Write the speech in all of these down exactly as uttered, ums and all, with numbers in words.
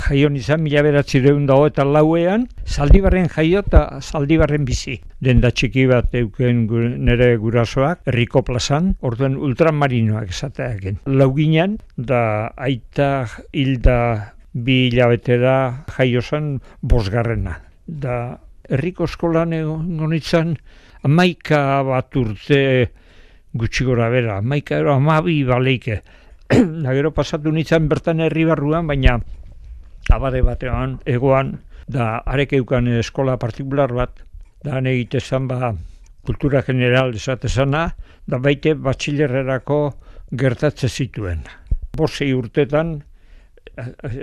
Jaio nizan mila bederatziehun eta lauean, Zaldibarren jaio eta Zaldibarren bizi. Denda txiki bat euken nire gurasoak, herriko plazan, orduen ultramarinoak esateaken. Lauginan, da aita hilda bi hilabetera jaio zen bosgarrena. Da herriko eskolan egon nintzen, hamaika bat urte gutxi gora bera, hamaika ero hamabi baleike. Da gero pasatu nintzen bertan herri barruan, baina abade batean, egoan, da arek eukan eskola partikular bat, da han egite zan ba kultura general esatezana, da baite batxilerrerako gertatze zituen. Bosei urtetan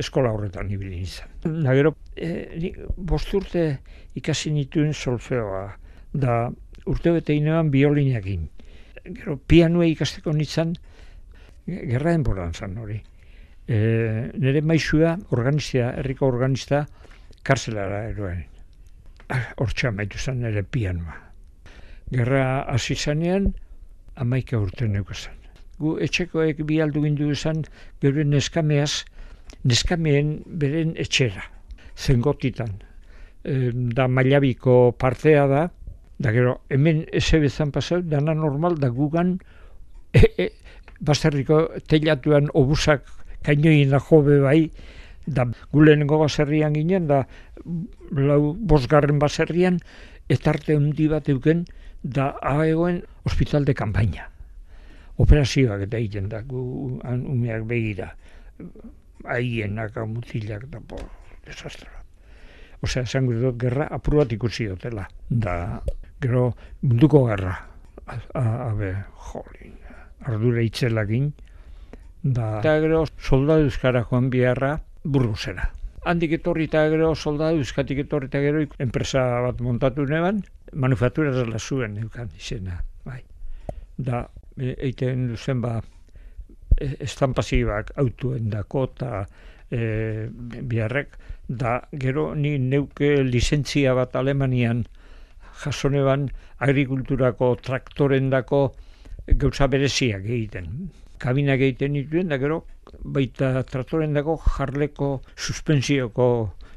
eskola horretan ibili nintzen. Da gero, e, bost urte ikasi nituen solfeoa, da urte bete inean biolinakin. Gero, pianua ikasteko nintzen, gerra denboran zan hori. E, nire maizua, organista, herriko organista, karzelara eroen. Hortxe amaitu zen nire pianoa. Gerra hasi zanean, hamaika urte neukazan. Gu etxekoek bi aldu gindu izan, gero neskameaz, neskameen beren etxera, zengotitan. E, da mailabiko partea da, da gero hemen eze bezan pasau, dana normal da gugan, e, e, baserriko teilatuan obusak kainoin da jobe bai, da gulenengo baserrian ginen, da lau bosgarren baserrian, etarte handi bat euken, da aegoen hospital de kanpaina. Operazioak eta egiten da, gu umeak begira, haienak, mutilak, da, bo, desastra. Osea, esango dut, gerra apur bat ikusi dutela. Da, gero, munduko gerra. Habe, jolin, ardura itzelakin. Da, eta gero, soldadu euskara joan biharra Burgosera. Handik etorri eta gero, soldadu euskatik etorri eta gero, enpresa bat montatu neban, manufaktura zela zuen eukan izena. Bai. Da, eiten duzen ba, estampazioak autuen dako eta e, biharrek, da gero ni neuke lizentzia bat Alemanian jasoneban agrikulturako traktorendako gauza bereziak egiten. Kabinak egiten dituen, da gero baita traktorendako jarleko suspensioko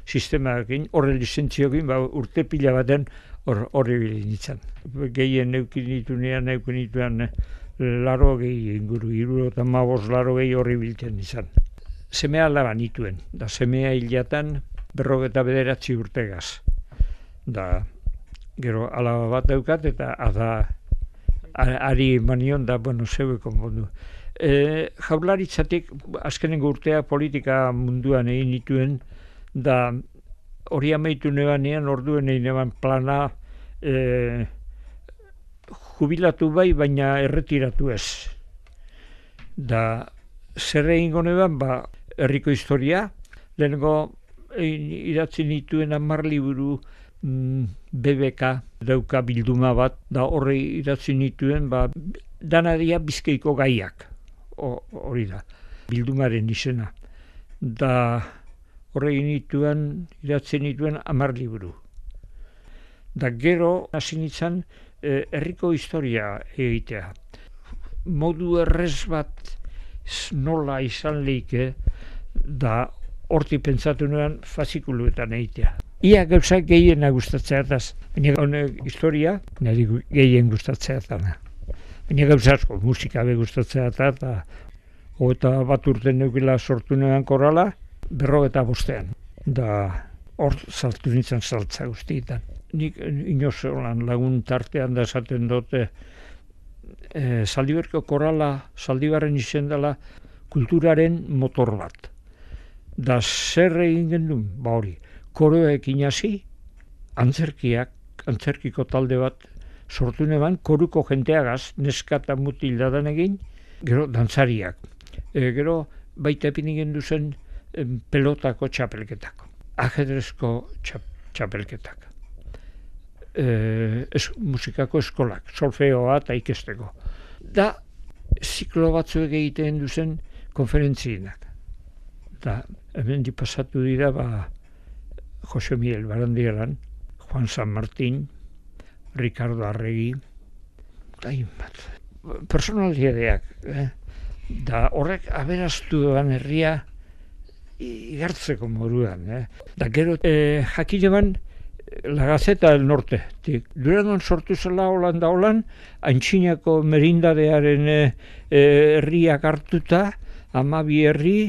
sistemaekin, horre lizentzioekin, ba, urte pila baten horre bilin ditzen. Gehien neukin ditunean, neukin dituean laro gehi inguru, hiru eta mabos laro gehi horri biltzen izan. Semea alaba nituen, da semea hilatan berrogeta bederatzi urtegaz. Da, gero alaba bat daukat eta ada ari manion da, bueno, zeueko mundu. E, jaurlaritzatik azkenengo urtea politika munduan egin nituen, da hori amaitu nebanean, orduen egin neban plana e, jubilatu bai, baina erretiratu ez. Da, zer egingo neban, ba, herriko historia, lehenengo idatzi nituen hamar liburu mm, B B K dauka bilduma bat, da horri idatzi nituen, ba, danadia Bizkaiko gaiak, hori da, bildumaren izena. Da horri nituen, idatzi nituen hamar liburu. Da gero hasi nintzen eh, herriko historia egitea. Modu errez bat nola izan leike, da horti pentsatu nuen fazikuluetan egitea. Ia gauzak gehiena gustatzea etaz, baina honek historia niri gehien gustatzea etana. Baina gauza asko, musika be gustatzea eta eta eta bat urte neukila sortu nuen korala, berrogeta bostean. Da hor saltu nintzen saltza guztietan. Nik inoz lan lagun tartean da esaten dute, e, Zaldibarko korala, Zaldibarren izen dela, kulturaren motor bat. Da zer egin gendun, ba hori, koroekin hasi, antzerkiak, antzerkiko talde bat sortu neban, koruko jenteagaz, neska eta mutil dadan egin, gero dantzariak. E, gero baita epin gendu zen em, pelotako txapelketak, ajedrezko txap, txapelketak. E, es, musikako eskolak, solfeoa eta ikesteko. Da, ziklo batzuek egiten duzen konferentzienak. Da, hemen di pasatu dira, ba, Jose Miguel Barandieran, Juan San Martín, Ricardo Arregi, da inbat, personaliadeak, eh? Da horrek aberaztu doan herria igartzeko moduan. Eh? Da gero, eh, jakile ban, La Gaceta del Norte. Durangon sortu zela holan da holan, Antxinako merindadearen eh, herriak hartuta, hamabi herri,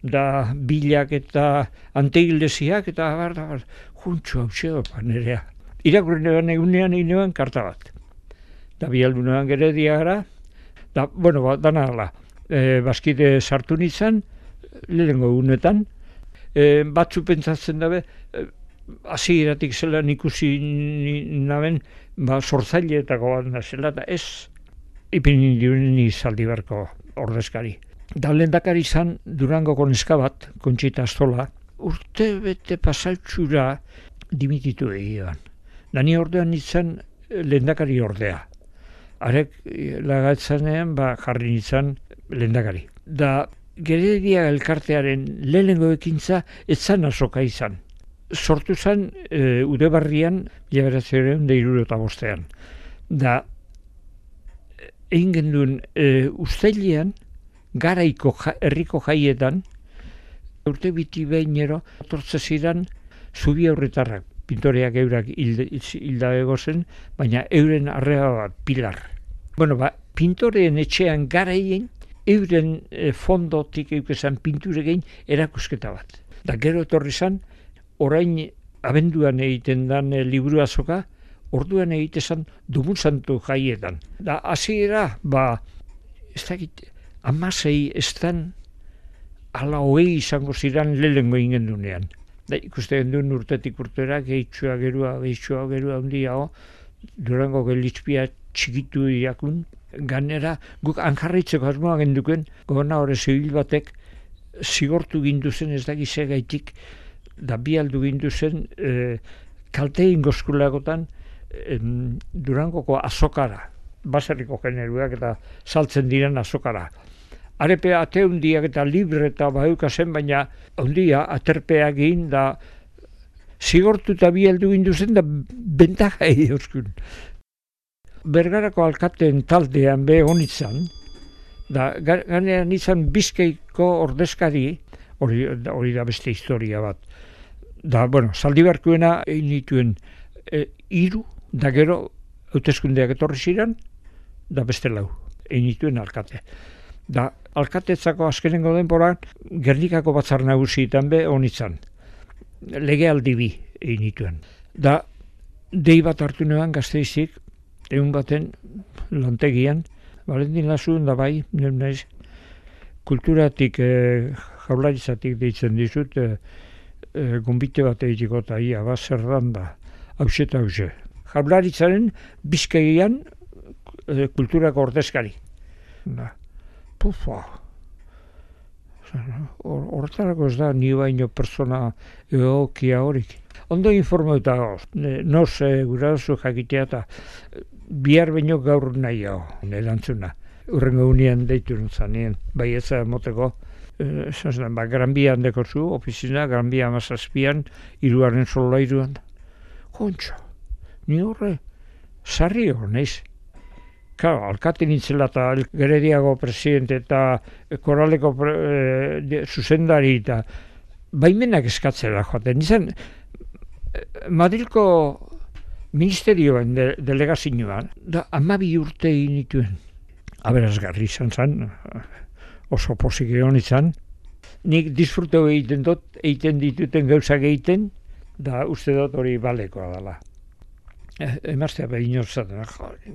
da bilak eta anteigleziak, eta bar, da bar, juntxo hau zego panerea. Irakurren eban egunean egin eban karta bat. Da bialdunean Geredia gara, da, bueno, ba, dana ala, e, bazkide sartu nintzen, lehenengo egunetan, e, batzu pentsatzen dabe, e, hasieratik zelan ikusi naben, ba, sortzaileetako bat nazela, eta ez ipini diren Zaldibarko ordezkari. Da lehendakari izan Durangoko neska bat, Kontxita Astola, urte bete pasaltxura dimititu egian. Da ni ordean nintzen lehendakari ordea. Arek lagatzanean ba, jarri nintzen lehendakari. Da Geredia elkartearen lehenengo ekintza etzan azoka izan. Sortu zen e, Udebarrian mila bederatziehun eta hirurogeita bostean. Da egin genduen e, uztailean garaiko ja, herriko jaietan urte biti behinero etortze ziren zubi aurretarrak, pintoreak eurak hilda egozen, baina euren arreba bat, pilar. Bueno, ba, pintoreen etxean garaien euren e, fondotik eukezan pinture gehin erakusketa bat. Da gero etorri zen, orain abenduan egiten dan e, liburu azoka, orduan egitezan Dumun Santu jaietan. Da, hasiera, ba, ez dakit, amasei estan ala hogei izango ziren lehengo ingen dunean. Da, ikuste genduen urtetik urtera, gehitxua gerua, gehitxua gerua handiago, Durango gelitzpia txikitu iakun, ganera, guk anjarritzeko asmoa genduken, gobernadore hori zibil batek zigortu ginduzen ez dakize gaitik, da bi aldu ginduzen e, kalte ingozkulagotan e, Durangoko azokara, baserriko generuak eta saltzen diren azokara. Arepe ate hundiak eta libre eta baukazen, baina hundia aterpeak egin da zigortu eta bi aldu ginduzen da bentaja egin. Bergarako alkateen taldean be honitzen, da ganean izan Bizkaiko ordezkari, hori, hori da beste historia bat. Da, bueno, Zaldibarkuena egin dituen e, iru, da gero hauteskundeak etorri ziren, da beste lau, egin dituen alkate. Da, alkatetzako azkenengo denboran, Gernikako batzar nagusietan be honitzen. Legealdi bi egin dituen. Da, dei bat hartu neban Gasteizik, egun baten lantegian, Valentin Lasuen da bai, naiz, kulturatik, e, jaurlaritzatik deitzen dizut, e, e, gonbite bat egiteko eta ia, ba, zer dan da, hause eta hause. Jaurlaritzaren Bizkaian e, kulturako ordezkari. Da, pufa, horretarako ez da, ni baino persona egokia horik. Ondo informatuta gauz, noz e, gura duzu jakitea eta bihar baino gaur nahi hau, erantzuna. Urrengo unian deitu nuzanien, bai ez moteko, e, ba, Gran Bia handeko zu, ofizina, Gran Bia amazazpian, iruaren solairuan. Kontxo, ni horre, sarri hor, naiz. Claro, alkate nintzela eta Gerediago presidente eta Koraleko pre, e, zuzendari eta baimenak eskatzera joaten. Nizan, Madrilko ministerioan de, delegazioan, da hamabi urte egin dituen. Aberazgarri izan zen, oso pozik egon izan. Nik disfruteu egiten dut, egiten dituten gauzak egiten, da uste dut hori balekoa dela. E, emaztea behin horzaten,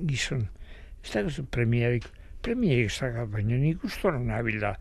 gizon, ez da gazu premiarik, premiarik zaga, baina nik ustoran nabil da.